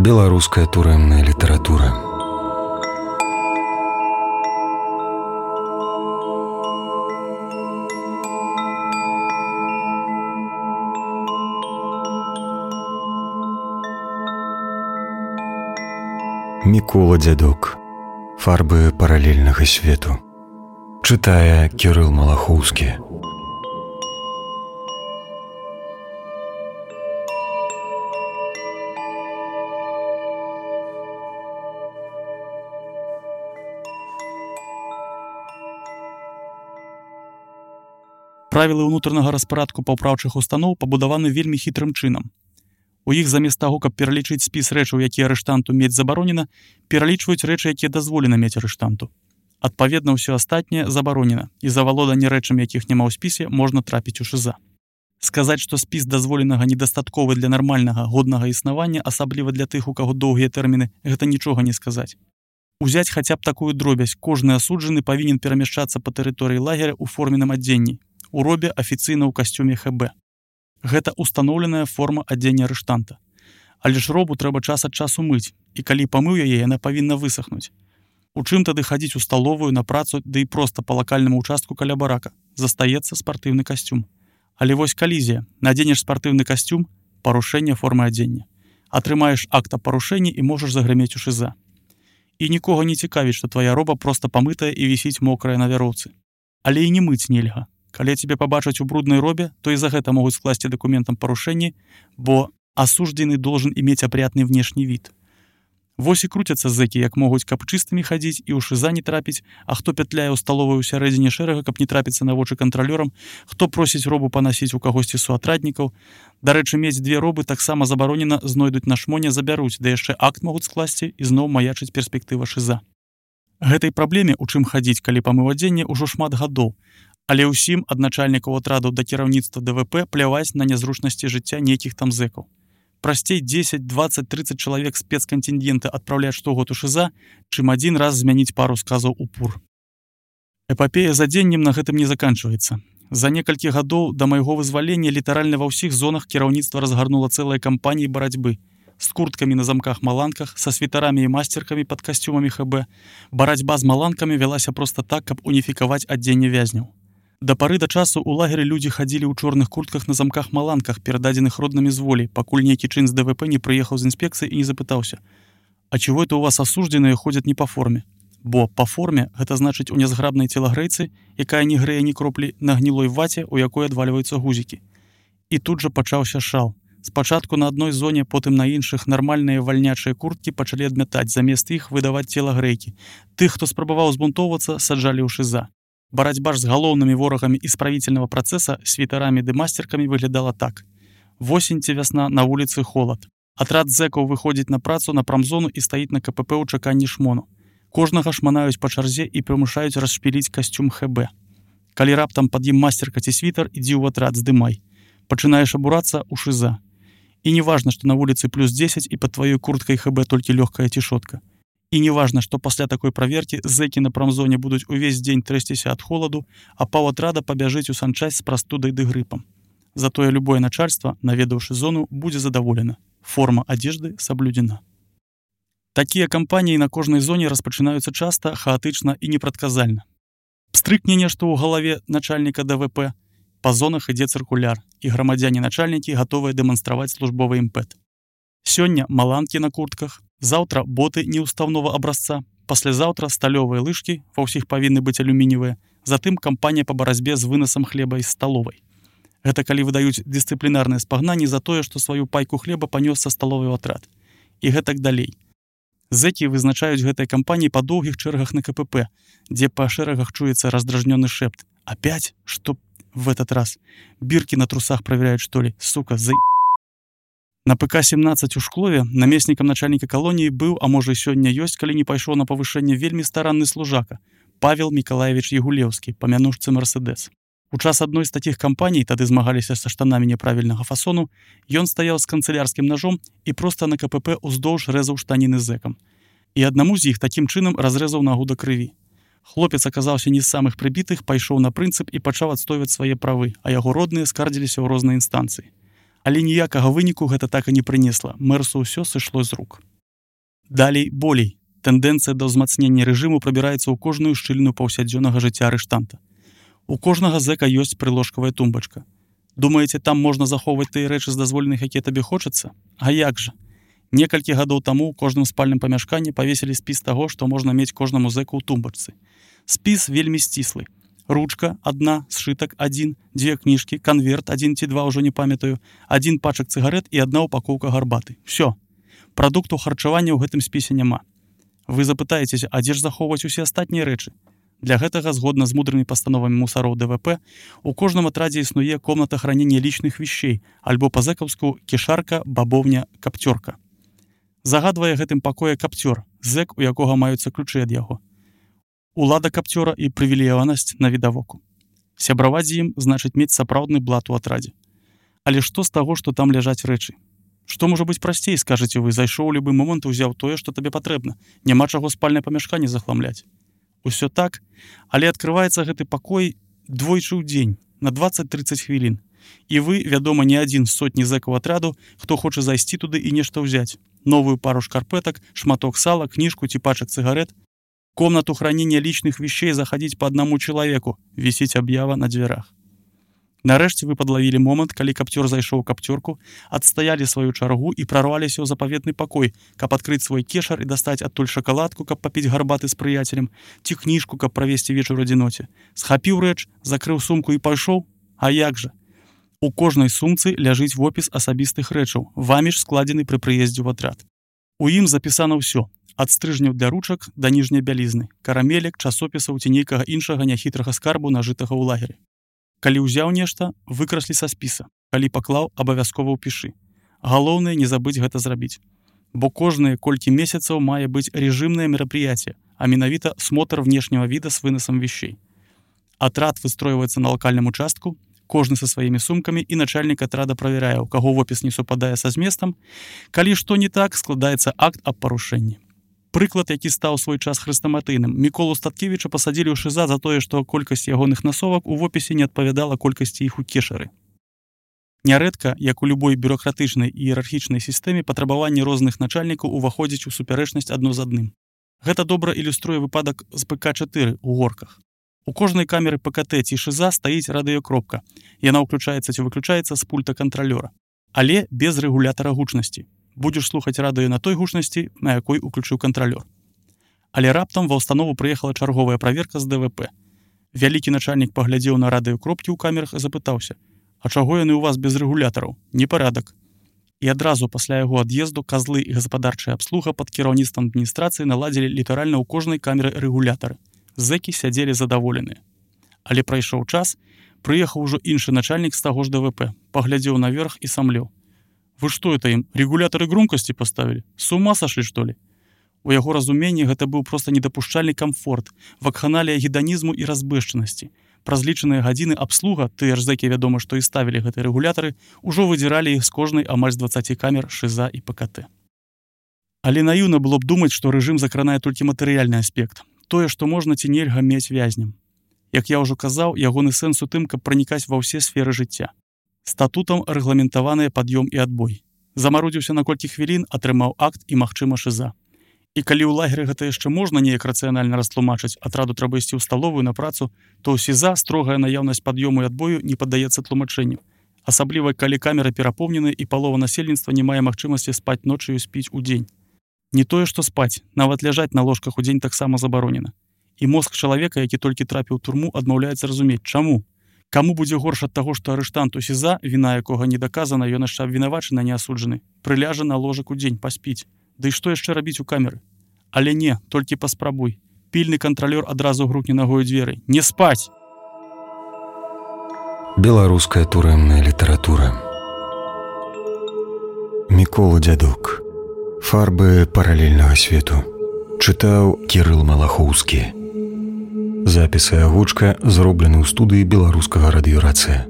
Беларуская турэмная літаратура. Мікола Дзядок. Фарбы паралельнага свету. Чытае Кірыл Малахоўскі. Правілы ўнутранага распарадку паўпраўчых устаноў пабудаваны вельмі хітрым чынам. У іх замест таго, каб пералічыць спіс рэчаў, якія арыштанту мець забаронена, пералічваюць рэчы, якія дазволена мець арыштанту. Адпаведна, ўсё астатняе забаронена, і за валоданне рэчам, якіх няма ў спісе, можна трапіць у ШЗА. Сказаць, што спіс дазволенага недастатковы для нармальнага, годнага існавання, асабліва для тых, у каго доўгія тэрміны, гэта нічога не сказаць. Узяць хаця б такую дробязь, кожны асуджаны павінен перамяшчацца па тэрыторыі лагеря ў форменным адзенні, у робе афіцыйна ў касцюме ХБ. Гэта устаноўленая форма адзення арыштанта. Але ж робу трэба час ад часу мыць, і калі памыў яе, яна павінна высахнуць. У чым тады хадзіць у сталовую, на працу, ды і проста па лакальнаму участку каля барака? Застаецца спартыўны касцюм. Але вось калізія. Надзенеш спартыўны касцюм – парушэнне формы адзення. Атрымаеш акт аб парушэнні і можаш загрымець у ШЗА. І нікога не цікавіць, што твая роба проста памытая і вісіць мокрая на вяроўцы. Але і не мыць нельга. Калі цябе пабачаць у бруднай робе, то і за гэта могуць скласці дакументам парушэнні, бо асуждзены должен иметь опрятный внешний вид. Вось і круцяцца зэкі, як могуць, каб чыстымі хадзіць і ў ШЗА не трапіць, а хто пятляе ў сталовую ў сярэдзіне шэрага, каб не трапіцца на вочы кантралёрам, хто просіць робу панасіць у кагосьці суатраднікаў. Дарэчы, мець две робы таксама забаронена, знойдуць на шмоне, забяруць, да яшчэ акт могуць скласці і зноў маячыць перспектыва ШЗА. Гэтай праблеме, у чым хадзіць, калі памыў адзенне, ужо шмат гадоў. Але ўсім ад начальнікаў атрадаў да кіраўніцтва ДВП пляваць на нязручнасці жыцця нейкіх там зэкаў. Прасцей 10, 20, 30 чалавек спецкантынгента адпраўляць штогод у ШЗА, чым адзін раз змяніць пару сказаў у ПУР. Эпапея з адзеннем на гэтым не заканчваецца. За некалькі гадоў да майго вызвалення літаральна ва ўсіх зонах кіраўніцтва разгарнула цэлыя кампаніі барацьбы. З курткамі на замках-маланках, са світарамі і масцеркамі пад касцюмамі ХБ. Барацьба з маланкамі вялася проста так, каб уніфікаваць адзенне вязняў. Да пары да часу ў лагеры людзі хадзілі ў чорных куртках на замках-маланках, перададзеных роднымі з волі, пакуль нейкі чын з ДВП не прыехаў з інспекцыі і не запытаўся: «А чего это у вас асуждзеныя ходзяць не па форме?» Бо па форме гэта значыць у нязграбнай целагрэйцы, якая не грэе ні кроплі, на гнілой ваце, у якой адвальваюцца гузікі. І тут жа пачаўся шал. Спачатку на адной зоне, потым на іншых нармальныя вальнячыя курткі пачалі адмятаць, замест іх выдаваць целагрэйкі. Тых, хто спрабаваў збунтоўвацца, саджалі ў ШЗА. Барацьба ж з галоўнымі ворагамі исправительного процесса світарамі ды масцеркамі выглядала так. Восень ці вясна, на вуліцы холад. Атрад зэкаў выходзіць на працу на прамзону і стаіць на КПП ў чаканні шмону. Кожнага шманаюць па чарзе і прымушаюць расшпіліць касцюм ХБ. Калі раптам пад ім масцерка ці світар, ідзі ў атрад, здымай. Пачынаеш абурацца ў ШЗА. І не важна, што на вуліцы плюс 10 і пад тваёй курткай ХБ толькі лёгкая цішотка. І не важна, што пасля такой праверкі зэкі на прамзоне будуць увесь дзень трэсціся ад холаду, а паўатрада пабяжыць у санчасць з прастудай ды грыпам. Затое любое начальство, наведаўшы зону, будзе задаволена. Форма адзежды саблюдзена. Такія кампаніі на кожнай зоне распачынаюцца часта, хаатычна і непрадказальна. Пстрыкне нешта ў галаве начальніка ДВП, па зонах ідзе цыркуляр, і грамадзяне-начальнікі гатовыя дэманстраваць службовы імпэт. Сёння маланкі на куртках, заўтра боты неўстаўнога абразца, паслязаўтра сталёвыя лыжкі, ва ўсіх павінны быць алюмініевыя, затым кампанія па барацьбе з вынасам хлеба з сталовай. Гэта калі выдаюць дысцыплінарныя спагнанні за тое, што сваю пайку хлеба панёс са сталовай у атрад. І гэтак далей. Зэкі вызначаюць гэтай кампаніі па доўгіх чэргах на КПП, дзе па шэрагах чуецца раздражнёны шэпт. Опять? Што в этот раз? Біркі на трусах праверяюць, што ли? Сука, На ПК-17 у Шклове намеснікам начальніка калоніі быў, а можа і сёння ёсць, калі не пайшоў на павышэнне, вельмі старанны служака Павел Мікалаевіч Ягулеўскі, па мянушцы Мерседес. У час адной з такіх кампаній, тады змагаліся са штанамі няправільнага фасону, ён стаяў з канцылярскім ножом і проста на КПП уздоўж рэзаў штаніны зэкам. І аднаму з іх такім чынам разрэзаў нагу да крыві. Хлопец аказаўся не з самых прыбітых, пайшоў на прынцып і пачаў адстойваць свае правы, а яго родныя скардзіліся ў розныя інстанцыі. Але ніякага выніку гэта так і не прынесла. Мэрсу ўсё сышло з рук. Далей болей. Тэндэнцыя да ўзмацнення рэжыму прабіраецца ў кожную шчыліну паўсядзённага жыцця арыштанта. У кожнага зэка ёсць прыложкавая тумбачка. Думаеце, там можна захоўваць тыя рэчы з дазволеных, якія табе хочацца? А як жа? Некалькі гадоў таму ў кожным спальным памяшканні павесілі спіс таго, што можна мець кожнаму зэку ў тумбачцы. Спіс вельмі сціслы. Ручка, адна, сшытак, адзін, 2 кніжкі, канверт, 1 ці 2, ужо не памятаю, 1 пачак цыгарэт і 1 упакоўка гарбаты. Всё. Прадуктаў харчавання ў гэтым спісе няма. Вы запытаецеся, а дзе ж захоўваць усе астатнія рэчы? Для гэтага, згодна з мудрымі пастановамі мусароў ДВП, у кожным атрадзе існуе комната хранення лічных вещей, альбо па-зэкаўску кішарка, бабовня, капцёрка. Загадвае гэтым пакоя капцёр, зэк, у якога маюцца ключы ад яго. Улада капцёра і прывілеяванасць на відавоку. Сябраваць з ім значыць мець сапраўдны блат у атрадзе. Але што з таго, што там ляжаць рэчы? Што можа быць прасцей, скажаце вы, зайшоў у любы момант і ўзяў тое, што табе патрэбна. Няма чаго спальнае памяшканне захламляць. Усё так, але адкрываецца гэты пакой двойчы ў дзень, на 20-30 хвілін. І вы, вядома, не адзін з сотні зэкаў атраду, хто хоча зайсці туды і нешта ўзяць. Новую пару шкарпэтак, шматок сала, кніжку ці пачак цыгарэт. Комнату хранения личных вещей заходить по одному человеку, висеть объява на дверях. Нарэшце вы подловили момент, калі капцёр зайшоў у капцёрку, адстаялі сваю чаргу і прорваліся ў запаветны пакой, каб адкрыць свой кешар і дастаць адтуль шакаладку, каб папіць гарбаты з прыяцелем, ці кніжку, каб правесці вечар у адзіноце. Схапіў рэч, закрыў сумку і пайшоў. А як жа? У кожнай сумцы ляжыць вопіс асабістых рэчаў, вамі ж складзены пры прыездзе ў атрад. У ім запісана ўсё. Ад стрыжняў для ручак да ніжняй бялізны, карамелек, часопісаў ці нейкага іншага няхітрага скарбу, нажытага ў лагеры. Калі ўзяў нешта, выкраслі са спіса. Калі паклаў, абавязкова ўпішы. Галоўнае не забыць гэта зрабіць. Бо кожныя колькі месяцаў мае быць рэжымнае мерапрыяцце, а менавіта смотр внешняга віда з вынасам вещей. Атрад выстройваецца на лакальным участку, кожны са сваімі сумкамі, і начальнік атрада правярае, у каго вопіс не супадае са зместам. Калі што не так, складаецца акт аб парушэнні. Прыклад, які стаў свой час хрэстаматыйным. Міколу Статкевіча пасадзілі ў ШИЗА за тое, што колькасць ягоных насовак у вопісе не адпавядала колькасці іх у кешары. Нярэдка, як у любой бюрократычнай і іерархічнай сістэме, патрабаванні розных начальнікаў уваходзяць у супярэчнасць адно з адным. Гэта добра ілюструе выпадак з ПК-4 у Горках. У кожнай камеры ПКТ ці ШИЗА стаіць радыёкропка. Яна ўключаецца ці выключаецца з пульта кантралёра, але без рэгулятара гучнасці. Будзеш слухаць радыё на той гучнасці, на якой уключыў кантралёр. Але раптам ва ўстанову прыехала чарговая праверка з ДВП. Вялікі начальнік паглядзеў на радыёкропкі ў камерах і запытаўся: «А чаго яны ў вас без рэгулятараў? Непарадак». І адразу пасля яго ад'езду казлы і гаспадарчая абслуга пад кіраўніцтвам адміністрацыі наладзілі літаральна ў кожнай камеры рэгулятары. Зэкі сядзелі задаволеныя. Але прайшоў час, прыехаў ужо іншы начальнік з таго ж ДВП, паглядзеў наверх і самлеў: «Вы что это им, регуляторы громкости поставили? С ума сошли, что ли?» У яго разуменні гэта быў проста недапушчальны камфорт, вакханалія гедонізму і разбэшчанасці. Праз лічаныя гадзіны абслуга, тыя ж зэкі, вядома, што і ставілі гэтыя рэгулятары, ужо выдзіралі іх з кожнай амаль з 20 камер ШИЗА і ПКТ. Але наіўна было б думаць, што рэжым закранае толькі матэрыяльны аспект. Тое, што можна ці нельга мець вязням. Як я ўжо казаў, ягоны сэнс у тым, каб пранікаць ва ўсе сферы жыцця. Статутам рэгламентаваныя пад'ём і адбой. Замарудзіўся на колькі хвілін, атрымаў акт і, магчыма, ШИЗА. І калі ў лагеры гэта яшчэ можна неяк рацыянальна растлумачыць, атраду трэба ісці ў сталовую на працу, то ў СІЗА строгая наяўнасць пад'ёму і адбою не паддаецца тлумачэнню. Асабліва, калі камеры перапоўнены і палова насельніцтва не мае магчымасці спаць ноччу і спіць у дзень. Не тое, што спаць, нават ляжаць на ложках у дзень таксама забаронена. І мозг чалавека, які толькі трапіў у турму, адмаўляецца разумець, чаму. Каму будзе горш ад таго, што арыштант у СІЗА, віна якога не даказана, ён яшчэ абвінавачаны, не асуджаны, прыляжа на ложак у дзень, паспіць. Ды і што яшчэ рабіць у камеры? Але не, толькі паспрабуй. Пільны кантралёр адразу грукне нагою дзверы. Не спаць! Беларуская турэмная літаратура. Мікола Дзядок. Фарбы паралельнага свету. Чытаў Кірыл Малахоўскі. Запісы агучка зроблены ў студыі беларускага радыёрацыя.